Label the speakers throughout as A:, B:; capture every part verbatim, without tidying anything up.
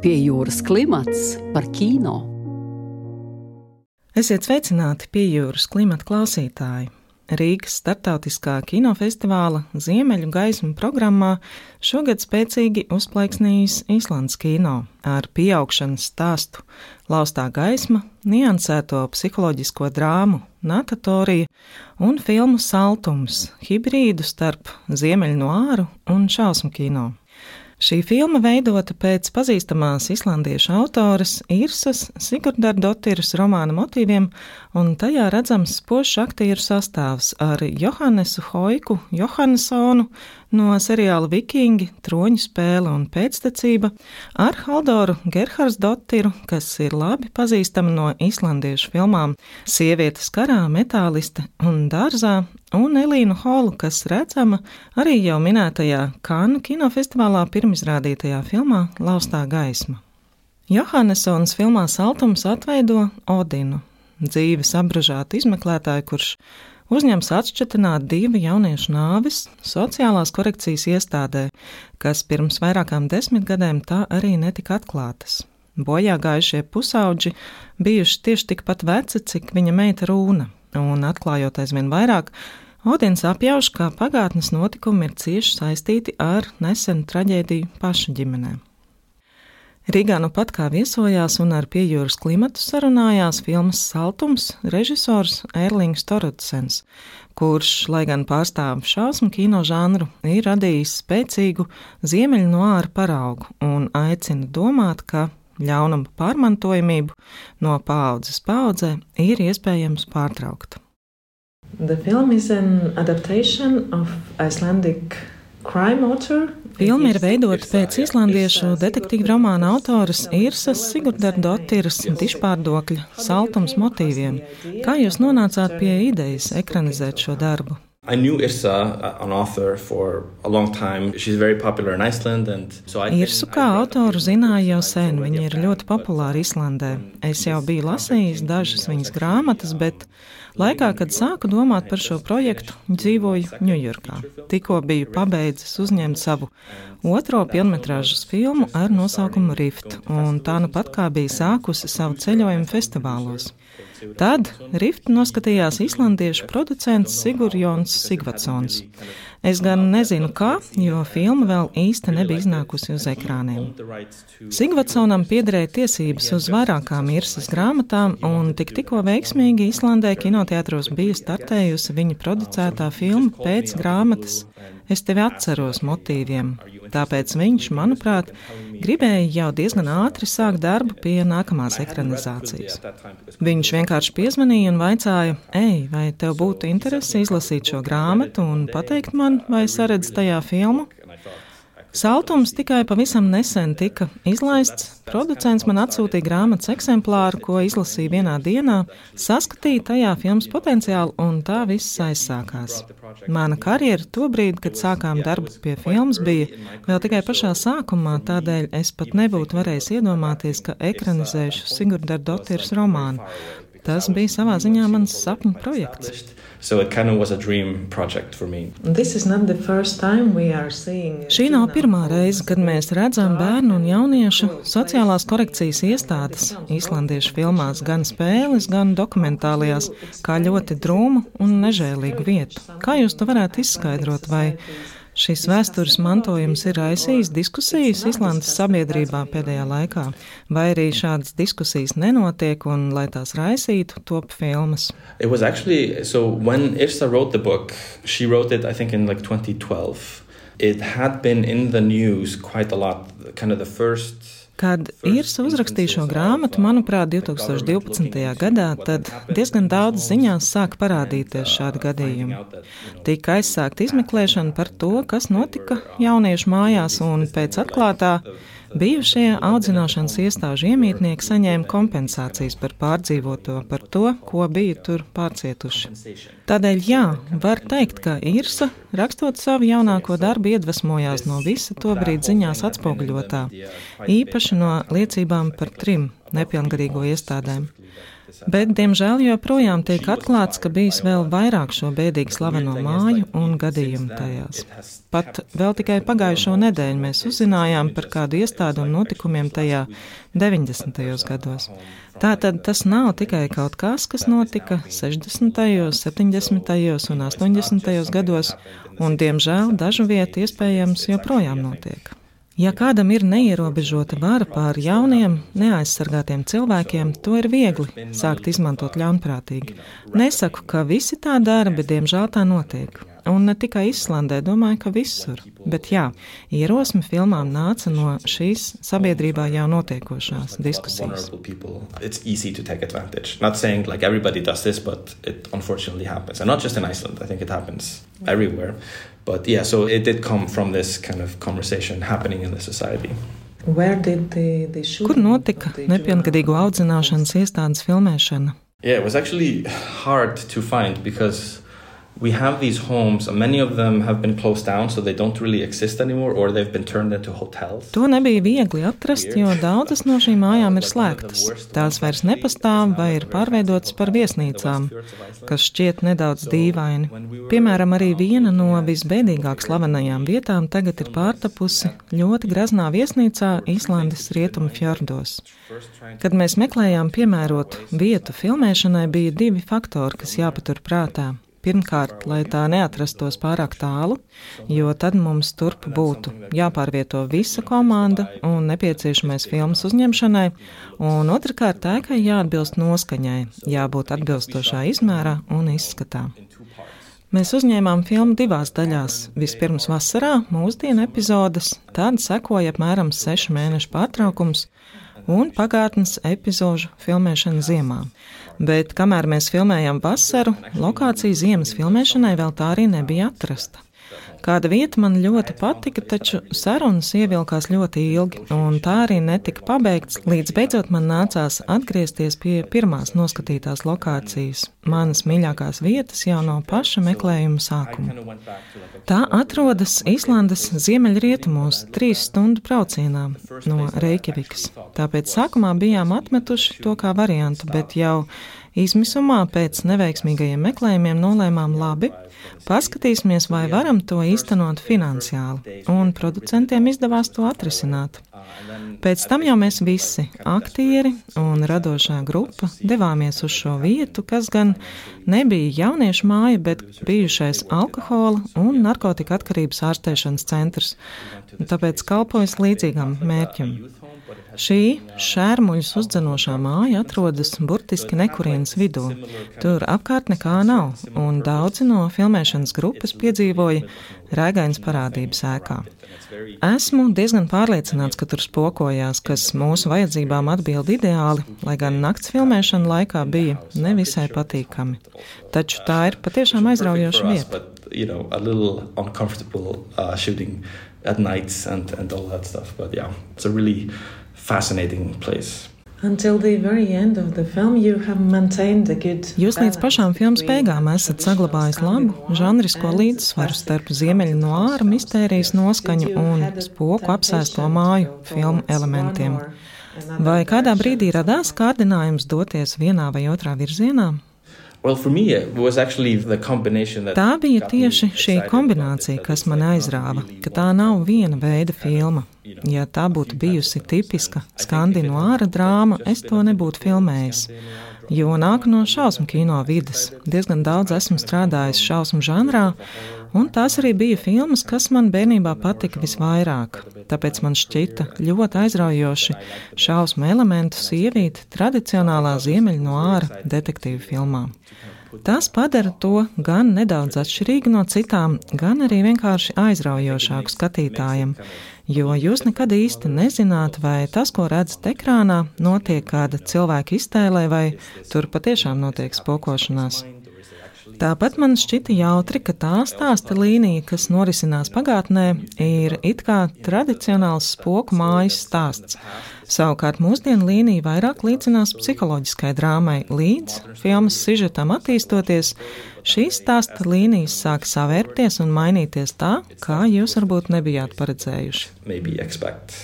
A: Pie jūras klimats par kino.
B: Esiet sveicināti Pie jūras klimata klausītāji. Rīgas starptautiskā kinofestivāla Ziemeļu gaismu programmā šogad spēcīgi uzplaiksnījis Islandes kino ar pieaugšanas stāstu Laustā gaisma, niansēto psiholoģisko drāmu Natatorija un filmu Saltums, hibrīdu starp ziemeļu noāru un šausmu kino. Šī filma veidota pēc pazīstamās islandiešu autores Irsas Sigurdardottiras romāna motīviem, un tajā redzams spožs aktieru sastāvs ar Johannesu Hoiku Johannesonu no seriāla Vikingi, Troņu spēle un pēctecība, ar Haldoru Gerhardsdottiru, kas ir labi pazīstama no islandiešu filmām Sievietes karā, Metāliste un Dārzā, un Elīnu Holu, kas redzama arī jau minētajā Kannu kinofestivālā pirmizrādītajā filmā Laustā gaisma. Johannesons filmā Saltums atveido Odinu, dzīves apbražātu izmeklētāju, kurš uzņems atšķetināt divu jauniešu nāves sociālās korekcijas iestādē, kas pirms vairākām desmitgadēm tā arī netika atklātas. Bojā gājušie pusauģi bijuši tieši tikpat veci, cik viņa meita Rūna, un atklājot aizvien vairāk, Odins apjauš, ka pagātnes notikumi ir cieši saistīti ar nesenu traģēdiju pašu ģimenē. Rīgā nu pat kā viesojās un ar Pie jūras klimatu sarunājās filmas Saltums režisors Erlings Thorodsens, kurš, lai gan pārstāv šausmu kino žanru, ir radījis spēcīgu ziemeļu noāru paraugu un aicina domāt, ka ļaunuma pārmantojamību no paaudzes paaudzē ir iespējams pārtraukt.
C: The film is an adaptation of Icelandic crime author.
B: Filma ir veidota pēc islandiešu detektīvu romāna autoras Irsas Sigurdardottiras dižpārdokļa Saltums motīviem. Kā jūs nonācāt pie idejas ekranizēt šo darbu?
D: I knew Irsa, an author, for a long time. She's very popular in Iceland, and so I
B: Irsu kā autoru zināju jau sen, viņa ir ļoti populāra Islandē. Es jau biju lasījis dažas viņas grāmatas, bet laikā, kad sāku domāt par šo projektu, dzīvoju Ņujorkā. Tikko biju pabeidzis uzņemt savu otro pilnmetrāžas filmu ar nosaukumu Rift, un tā nu pat kā bija sākusi savu ceļojumu festivālos. Tad Riftu noskatījās islandiešu producents Sigurjons Sigvatsons. Es gan nezinu kā, jo filma vēl īsti nebija iznākusi uz ekrāniem. Sigvatsonam piederēja tiesības uz vairākām Irsas grāmatām, un tik tikko veiksmīgi Islandē kinoteātros bija startējusi viņa producētā filma pēc grāmatas Es tevi atceros motīviem. Tāpēc viņš, manuprāt, gribēja jau diezgan ātri sākt darbu pie nākamās ekranizācijas. Viņš vienkārši piezvanīja un vaicāja, ej, vai tev būtu interesi izlasīt šo grāmatu un pateikt man, vai saredz tajā filmu? Saltums tikai pavisam nesen tika izlaists. Producents man atsūtīja grāmatas eksemplāru, ko izlasīja vienā dienā, saskatīja tajā filmas potenciālu, un tā viss aizsākās. Mana karjera tobrīd, kad sākām darbu pie filmas, bija vēl tikai pašā sākumā, tādēļ es pat nebūtu varējis iedomāties, ka ekranizēšu Sigurdardottiras romānu. Tas bija savā ziņā mans sapņu projekts.
D: So it kind of was a dream project for me.
C: This is not the first time we are seeing.
B: Šī nav pirmā reize, kad mēs redzam bērnu un jauniešu sociālās korekcijas iestādes islandiešu filmās, gan spēles, gan dokumentālajās, kā ļoti drūmu un nežēlīgu vietu. Kā jūs to varētu izskaidrot, vai šis vēstures mantojums ir raisījis diskusijas Islandes sabiedrībā pēdējā laikā, vai arī šādas diskusijas nenotiek un, lai tās raisītu, top filmas?
D: It was actually, so when Irsa wrote the book, she wrote it, I think, in like twenty twelve. It had been in the news quite a lot, kind of the first...
B: Kad Irsa uzrakstīja šo grāmatu, manuprāt, divtūkstoš divpadsmitajā gadā, tad diezgan daudz ziņās sāka parādīties šādi gadījumi. Tika aizsākta izmeklēšana par to, kas notika jauniešu mājās, un pēc atklātā bijušie audzināšanas iestāžu iemītnieki saņēma kompensācijas par pārdzīvoto, par to, ko bija tur pārcietuši. Tādēļ, jā, var teikt, ka Irsa, rakstot savu jaunāko darbu, iedvesmojās no visa tobrīd ziņās atspoguļotā, īpaši no liecībām par trim nepilngadīgo iestādēm. Bet, diemžēl, joprojām tiek atklāts, ka bijis vēl vairāk šo bēdīgi slaveno māju un gadījumu tajās. Pat vēl tikai pagājušo nedēļu mēs uzzinājām par kādu iestādu un notikumiem tajā deviņdesmitajos gados. Tātad tas nav tikai kaut kas, kas notika sešdesmitajos, septiņdesmitajos un astoņdesmitajos gados, un, diemžēl, dažu vietu iespējams joprojām notiek. Ja kādam ir neierobežota vara pār jauniem, neaizsargātiem cilvēkiem, to ir viegli sākt izmantot ļaunprātīgi. Nesaku, ka visi tā dara, bet diemžēl tā notiek. Un ne tikai Islandē, domāju, ka visur. Bet jā, ierosme filmām nāca no šīs sabiedrībā jau notiekošās diskusijas.
D: It's easy to take advantage. Not saying like everybody does this, but it unfortunately happens. And not just in Iceland, I think it happens everywhere. But yeah, so it did come from this kind of conversation happening in the society.
C: Where did the, the
B: Kur notika nepilngadīgo audzināšanas iestādes filmēšana?
D: Yeah, it was actually hard to find because we have these homes, and many of them have been closed down, so they don't really exist anymore, or they've been turned into hotels.
B: To nebija viegli atrast, jo daudzas no šīm mājām ir slēgtas. Tās vairs nepastāv vai ir pārveidotas par viesnīcām, kas šķiet nedaudz dīvaini. Piemēram, arī viena no visbēdīgāk slavenajām vietām tagad ir pārtapusi ļoti graznā viesnīcā Īslandes rietumu fjordos. Kad mēs meklējām piemērotu vietu filmēšanai, bija divi faktori, kas jāpatur prātā. Pirmkārt, lai tā neatrastos pārāk tālu, jo tad mums turp būtu jāpārvieto visa komanda un nepieciešamais filmas uzņemšanai, un otrkārt, ēkai jāatbilst noskaņai, jābūt atbilstošā izmērā un izskatā. Mēs uzņēmām filmu divās daļās. Vispirms vasarā mūsdienu epizodes, tad sekoja apmēram sešu mēnešu pārtraukums un pagātnes epizožu filmēšana ziemā. Bet, kamēr mēs filmējām vasaru, lokācija ziemas filmēšanai vēl tā arī nebija atrasta. Kāda vieta man ļoti patika, taču sarunas ievilkās ļoti ilgi, un tā arī netika pabeigts, līdz beidzot man nācās atgriezties pie pirmās noskatītās lokācijas, manas mīļākās vietas jau no paša meklējuma sākuma. Tā atrodas Īslandes ziemeļrietumos trīs stundu braucienā no Reikjavikas. Tāpēc sākumā bijām atmetuši to kā variantu, bet jau izmisumā pēc neveiksmīgajiem meklējumiem nolēmām labi, paskatīsimies, vai varam to īstenot finansiāli, un producentiem izdevās to atrisināt. Pēc tam jau mēs visi, aktieri un radošā grupa, devāmies uz šo vietu, kas gan nebija jauniešu māja, bet bijušais alkohola un narkotika atkarības ārstēšanas centrs, tāpēc kalpojas līdzīgam mērķim. Šī šērmuļus uzdzenošā māja atrodas burtiski nekurienes vidū. Tur apkārt nekā nav, un daudzi no filmēšanas grupas piedzīvoja rēgainas parādības ēkā. Esmu diezgan pārliecināts, ka tur spokojās, kas mūsu vajadzībām atbild ideāli, lai gan nakts filmēšana laikā bija nevisai patīkami. Taču tā ir patiešām aizraujoša vieta.
D: You know, a little uncomfortable uh, shooting at nights and, and all that stuff. But yeah, it's a really fascinating place.
C: Until the very end of the film, you have maintained a good
B: Jūs līdz pašām filmas beigām esat saglabājis labu žanrisko līdzsvaru starp ziemeļu noāra mistērijas noskaņu un spoku apsēsto māju filmu elementiem. Vai kādā brīdī radās kārdinājums doties vienā vai otrā virzienā?
D: Well, for me, it was actually the combination that
B: Tā bija tieši šī kombinācija, kas man aizrāva, ka tā nav viena veida filma. Ja tā būtu bijusi tipiska skandināva drāma, es to nebūtu filmējis. Jo nāku no šausmu kino vides. Diezgan daudz esmu strādājis šausmu žanrā, un tās arī bija filmas, kas man bērnībā patika visvairāk. Tāpēc man šķita ļoti aizraujoši šausmu elementus ievīt tradicionālā ziemeļu noāra detektīvu filmā. Tas padara to gan nedaudz atšķirīgu no citām, gan arī vienkārši aizraujošāku skatītājiem, jo jūs nekad īsti nezināt, vai tas, ko redzat ekrānā, notiek kāda cilvēka iztēlē, vai tur patiešām notiek spokošanās. Tāpat man šķita jautri, ka tā stāsta līnija, kas norisinās pagātnē, ir it kā tradicionāls spoku mājas stāsts. Savukārt mūsdienu līnija vairāk līdzinās psiholoģiskai drāmai. Līdz filmas sižetam attīstoties, šīs stāsta līnijas sāk savērpties un mainīties tā, kā jūs varbūt nebijāt paredzējuši.
D: maybe expect.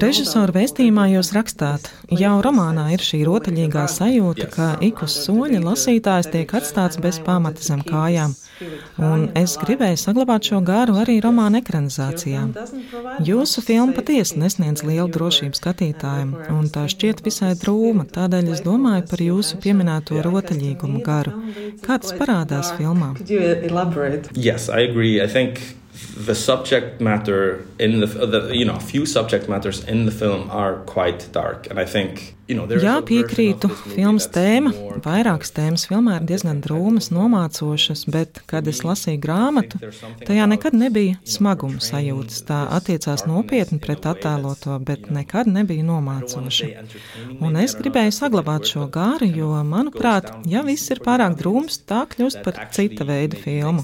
B: Režisora vēstījumā jūs rakstāt, jau romānā ir šī rotaļīgā sajūta, ka ik uz soļa lasītājs tiek atstāts bez pamata zem kājām. Un es gribēju saglabāt šo garu arī romāna ekranizācijā. Jūsu filma patiesi nesniedz lielu drošību skatītājiem, un tā šķiet visai drūma, tādēļ es domāju par jūsu pieminēto rotaļīgumu garu. Kā tas parādās filmā?
D: Yes, I agree. I think the subject matter in the, the you know, few subject matters in the film are quite dark, and I think
B: Jā, piekrītu, filmas tēma, vairākas tēmas filmā ir diezgan drūmas, nomācošas, bet, kad es lasīju grāmatu, tajā nekad nebija smaguma sajūtas. Tā attiecās nopietni pret attēloto, bet nekad nebija nomācoša. Un es gribēju saglabāt šo gāru, jo, manuprāt, ja viss ir pārāk drūms, tā kļūst par cita veida filmu.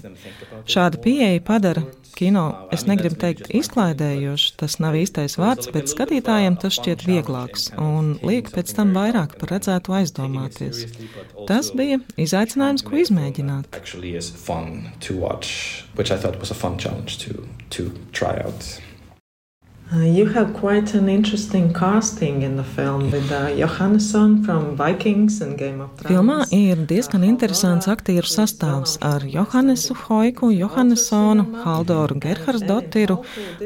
B: Šāda pieeja padara kino, es negribu teikt izklaidējoši, tas nav īstais vārds, bet skatītājiem tas šķiet vieglāks un liek pēc tam vairāk par redzētu aizdomāties. Tas bija izaicinājums, ko izmēģināt.
C: Uh, you have quite an interesting casting in the film with uh, Johannesson from Vikings and Game of Thrones.
B: Filmā ir diezgan interesants aktieru sastāvs ar Johannesu Hoiku, Johannessonu, Haldoru Gerhardsdottiru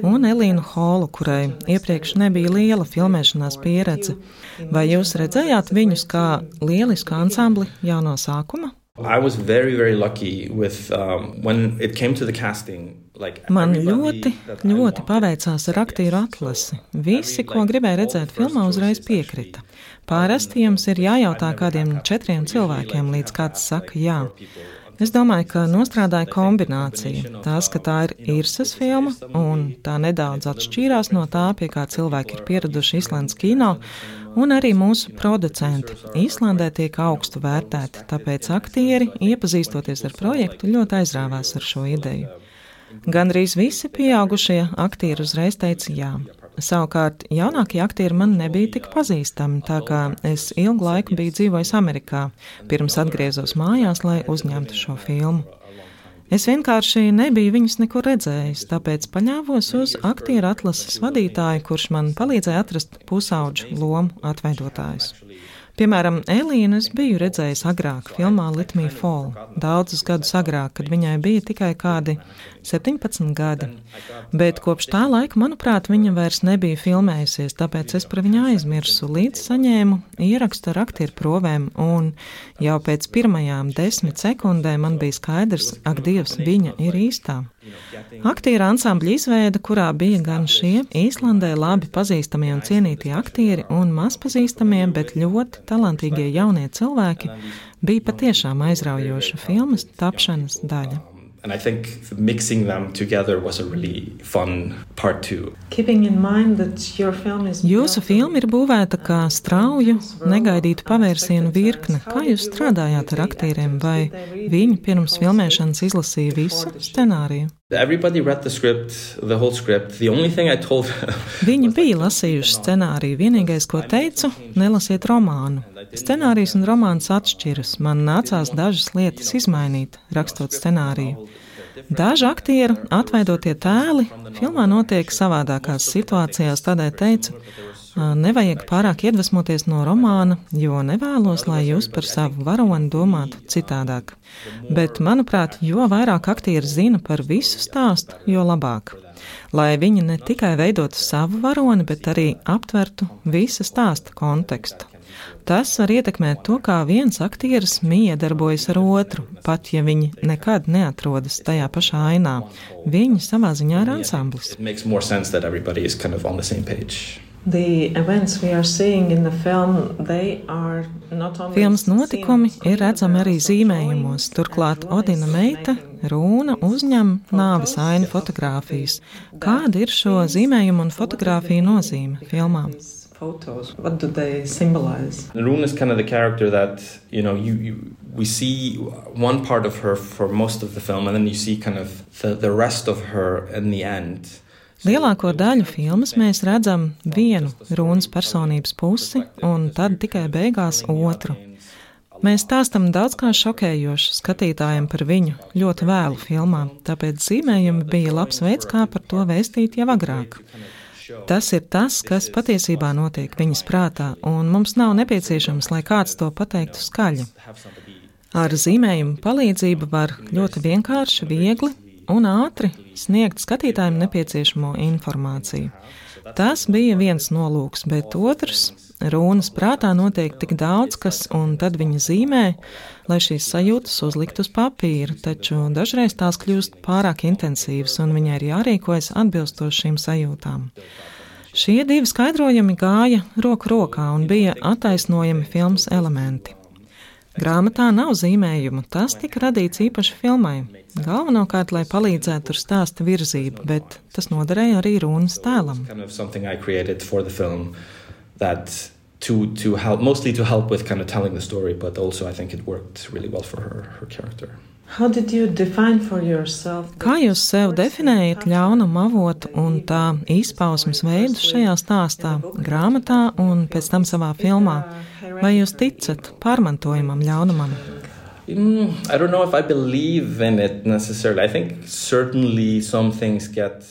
B: un Elīnu Holu, kurai iepriekš nebija liela filmēšanās pieredze. Vai jūs redzējāt viņus kā lielisku ansambli jau no sākuma?
D: I was very, very lucky with um, when it came to the casting.
B: Man ļoti, ļoti paveicās ar aktieru atlasi. Visi, ko gribēja redzēt filmā, uzreiz piekrita. Parasti jums ir jājautā kādiem četriem cilvēkiem, līdz kāds saka jā. Es domāju, ka nostrādāja kombinācija. Tās, ka tā ir Irsas filma, un tā nedaudz atšķīrās no tā, pie kā cilvēki ir pieraduši Islandes kino, un arī mūsu producenti. Īslandē tiek augstu vērtēti, tāpēc aktieri, iepazīstoties ar projektu, ļoti aizrāvās ar šo ideju. Gandrīz visi pieaugušie aktieri uzreiz teica jā. Savukārt, jaunākie aktieri man nebija tik pazīstami, tā kā es ilgu laiku biju dzīvojis Amerikā, pirms atgriezos mājās, lai uzņemtu šo filmu. Es vienkārši nebiju viņus nekur redzējis, tāpēc paļāvos uz aktieru atlases vadītāju, kurš man palīdzēja atrast pusauģu lomu atveidotājus. Piemēram, Elīnu es biju redzējis agrāk, filmā Let Me Fall, daudzus gadus agrāk, kad viņai bija tikai kādi septiņpadsmit gadi. Bet kopš tā laika, manuprāt, viņa vairs nebija filmējusies, tāpēc es par viņu aizmirsu, līdz saņēmu ierakstu ar aktieru provēm, un jau pēc pirmajām desmit sekundēm man bija skaidrs, ak Dievs, viņa ir īstā. Aktieru ansambļa izveida, kurā bija gan šie Īslandē labi pazīstamie un cienītie aktieri un mazpazīstamie, bet ļoti talantīgie jaunie cilvēki, bija patiešām aizraujoša filmas tapšanas daļa.
D: And I think mixing them together was a really fun part too.
C: Keeping in mind that your film is
B: Jūsu filma ir būvēta kā strauju, negaidītu pavērsienu virkne. Kā jūs strādājāt ar aktieriem, vai viņi pirms filmēšanas izlasīja visu scenāriju?
D: Everybody read the script, the whole script. The only thing I told
B: Viņi bija lasījuši scenāriju. Vienīgais, ko teicu, nelasiet romānu. Scenārijs un romāns atšķiras. Man nācās dažas lietas izmainīt, rakstot scenāriju. Daži aktieru atveidotie tēli filmā notiek savādākās situācijās, tādēļ teicu, nevajag pārāk iedvesmoties no romāna, jo nevēlos, lai jūs par savu varoni domātu citādāk. Bet, manuprāt, jo vairāk aktieri zina par visu stāstu, jo labāk. Lai viņi ne tikai veidotu savu varoni, bet arī aptvertu visa stāsta kontekstu. Tas var ietekmēt to, kā viens aktieris miedarbojas ar otru, pat ja viņi nekad neatrodas tajā pašā ainā. Viņi savā ziņā ir ansamblis. Filmas notikumi ir redzami arī zīmējumos, turklāt Odina meita, Rūna, uzņem nāves ainu fotogrāfijas. Kāda ir šo zīmējumu un fotogrāfiju nozīme filmām?
C: Photos. What do they symbolize?
D: Rune is kind of the character that, you know, you, you we see one part of her for most of the film, and then you see kind of the, the rest of her in the end.
B: Lielāko daļu filmas mēs redzam vienu Rūnas personības pusi, un tad tikai beigās otru. Mēs stāstam daudz kā šokējoši skatītājiem par viņu ļoti vēlu filmā, tāpēc zīmējumi bija labs veids, kā par to vēstīt jau agrāk. Tas ir tas, kas patiesībā notiek viņas prātā, un mums nav nepieciešams, lai kāds to pateiktu skaļi. Ar zīmējumu palīdzību var ļoti vienkārši, viegli un ātri sniegt skatītājiem nepieciešamo informāciju. Tas bija viens nolūks, bet otrs – Rūnas prātā notiek tik daudz kas, un tad viņa zīmē, lai šīs sajūtas uzlikt uz papīra, taču dažreiz tās kļūst pārāk intensīvas, un viņai ir jārīkojas atbilstoši šīm sajūtām. Šie divi skaidrojumi gāja roku rokā un bija attaisnojami filmas elementi. Grāmatā nav zīmējumu, tas tika radīts īpaši filmai. Galvenokārt, lai palīdzētu ar stāsta virzību, bet tas noderēja arī Rūnas tēlam.
D: That to to help mostly to help with kind of telling the story, but also I think it worked really well for her her character.
C: How did you define for yourself?
B: Kā jūs sev definējat ļaunumu avotu un tā izpausmes veidus šajā stāstā, grāmatā un pēc tam savā filmā? Vai jūs ticat pārmantojamam ļaunumam?
D: Mm, I don't know if I believe in it necessarily. I think certainly some things get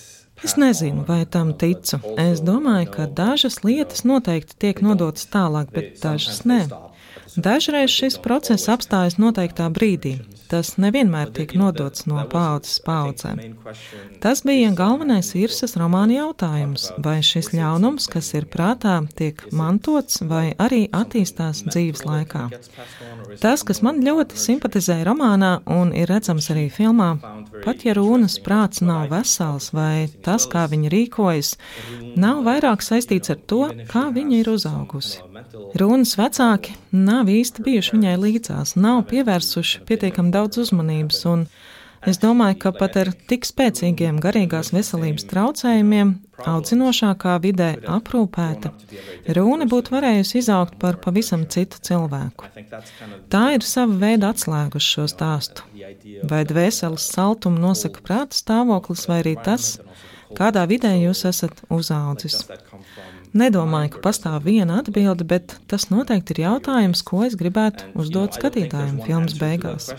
B: Es nezinu, vai tam ticu. Es domāju, ka dažas lietas noteikti tiek nodotas tālāk, bet dažas ne. Dažreiz šis process apstājas noteiktā brīdī. Tas nevienmēr tiek nodots no paaudzes paaudzēm. Tas bija galvenais Irsas romāna jautājums, vai šis ļaunums, kas ir prātā, tiek mantots vai arī attīstās dzīves laikā. Tas, kas man ļoti simpatizēja romānā un ir redzams arī filmā, pat ja Rūnas prāts nav vesels vai tas, kā viņa rīkojas, nav vairāk saistīts ar to, kā viņa ir uzaugusi. Rūnas vecāki nav īsti bijuši viņai līdzās, nav pievērsuši pietiekami daudz uzmanības, un es domāju, ka pat ar tik spēcīgiem garīgās veselības traucējumiem, audzinošākā vidē aprūpēta, Rūna būtu varējusi izaugt par pavisam citu cilvēku. Tā ir sava veida atslēga uz šo stāstu. Vai dvēseles saltumu nosaka prāta stāvoklis, vai arī tas, kādā vidē jūs esat uzaudzis. Nedomāju, ka pastāv viena atbilde, bet tas noteikti ir jautājums, ko es gribētu uzdot skatītājiem filmas beigās.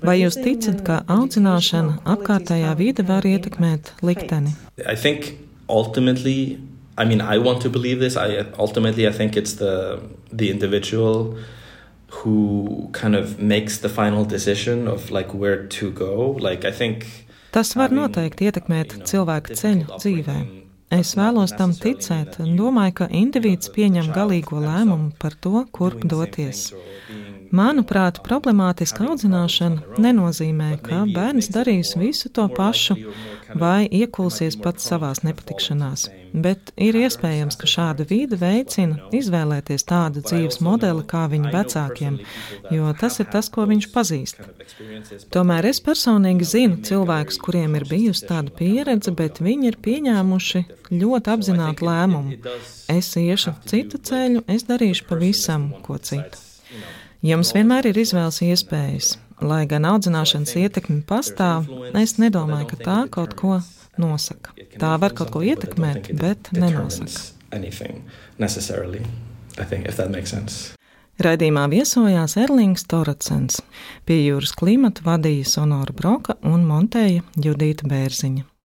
B: Vai jūs ticat, ka audzināšana apkārtējā vide var ietekmēt likteni?
D: I think ultimately, I mean, I want to believe this. I ultimately I think it's the the individual who kind of makes the final decision of like where to go. Like I think
B: Tas var noteikti ietekmēt cilvēka ceļu dzīvē. Es vēlos tam ticēt un domāju, ka indivīds pieņem galīgo lēmumu par to, kurp doties. Manuprāt, problemātiska audzināšana nenozīmē, ka bērns darīs visu to pašu vai iekulsies pats savās nepatikšanās, bet ir iespējams, ka šāda vīde veicina izvēlēties tādu dzīves modeli kā viņa vecākiem, jo tas ir tas, ko viņš pazīst. Tomēr es personīgi zinu cilvēkus, kuriem ir bijusi tāda pieredze, bet viņi ir pieņēmuši ļoti apzinātu lēmumu. Es iešu citu ceļu, es darīšu pavisam ko citu. Jums vienmēr ir izvēles iespējas. Lai gan audzināšanas ietekme pastāv, es nedomāju, ka tā kaut ko nosaka. Tā var kaut ko ietekmēt, bet nenosaka. Raidījumā viesojās Erlings Toracens. Pie jūras klimata vadīja Sonora Broka un montēja Judīta Bērziņa.